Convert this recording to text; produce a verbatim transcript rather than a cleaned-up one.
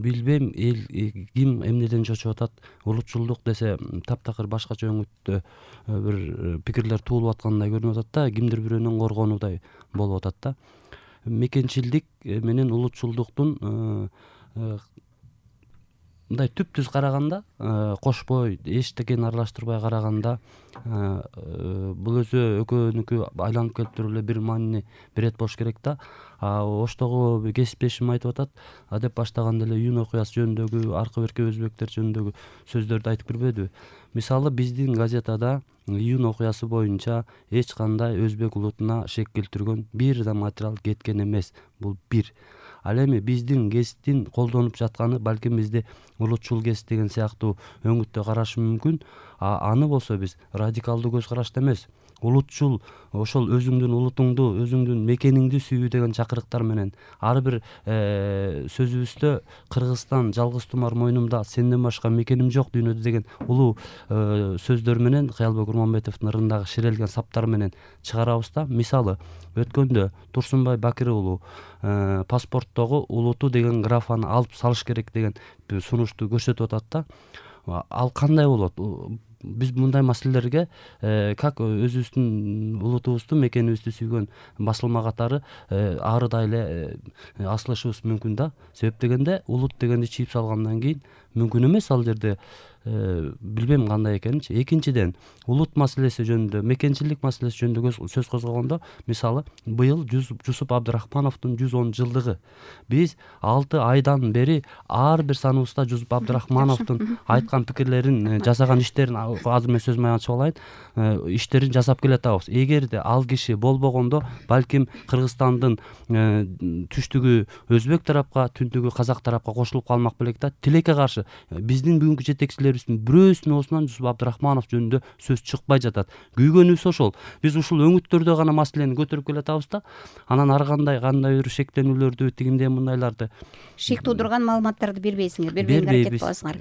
билбейм, эл ким эмнеден чочуп атат. Улутчулдук десе таптакыр башкача өңүттө бир пикирлер туулуп аткандай көрүнүп атат да, кимдир бирөөнүн коргонудай болуп атат да. Мекенчилдик менен улутчулдуктун мындай түп-түз караганда, кошпой, эчтекени аралаштырбай караганда бул өзү экөөнүкү айланып келип туруп эле бир маани берет болуш керек да. Оштогу кесиптешим айтып атат, деп баштаганда эле июнь окуясы жөнүндөгү, аркы берки өзбектер жөнүндөгү сөздөрдү айтып кирбедиби? Мисалы, биздин газетада июнь окуясы боюнча эч кандай өзбек улутуна шек келтиргөн бир да материал кеткен эмес. Бул бир. Ал эми биздин гезиттин колдонуп жатканы балким бизди улутчул гезит деген сыяктуу өңүттө карашы мүмкүн. Аны болсо биз радикалдуу көз карашта эмес, улутчул, ошол өзүңдүн улутуңду, өзүңдүн мекениңди сүйүү деген чакырыктар менен ар бир сөзүбүздө Кыргызстан жалгыз тумар мойнумда, сенден башка мекеним жок дүйнөдө деген улуу сөздөр менен Кыялбек Урманбетовдун ырындагы ширелген саптар менен чыгарабыз да. Мисалы, өткөндө Турсунбай Бакир уулу паспорттогу улуту деген графаны алып салыш керек деген сунушту көрсөтүп атат да. Ал кандай болот? Биз мындай маселелерге как өзүбүздүн улутубузду, мекенибизди сүйгөн басылма катары арыдай эле асылышыбыз мүмкүн да. Себеп дегенде улут дегенди чийип салгандан кийин мүмкүн эмес ал жерде билбейм кандай экенинчи. Экинчиден, улут маселеси жөнүндө, мекенчилдик маселеси жөнүндө сөз козгогондо, мисалы, быйыл Жусуп Абдрахмановдун жүз он жылдыгы. Биз алты айдан бери ар бир саныбызда Жусуп Абдрахмановдун айткан пикирлерин, жасаган иштерин, азыр мен сөзүмө ачып алайын, иштерин жасап келатабыз. Эгерде ал киши болбогондо, балким Кыргызстандын түштүгү өзбек тарапка, түндүгү казак тарапка кошулуп калмак белек да. Тилекке каршы биздин бүгүнкү жетекчилерибиздин бирөөсүнүн оозунан Жусуп Абдрахманов жөнүндө сөз чыкпай жатат. Күйгөнүбүз ошол. Биз ушул өңүттөрдө гана маселени көтөрүп келатабыз да. Анан ар кандай кандай бир шектенүүлөрдү, тигиндей мындайларды, шек туудурган маалыматтарды бербейсиңер, бербөгөнгө аракет кыласыңар.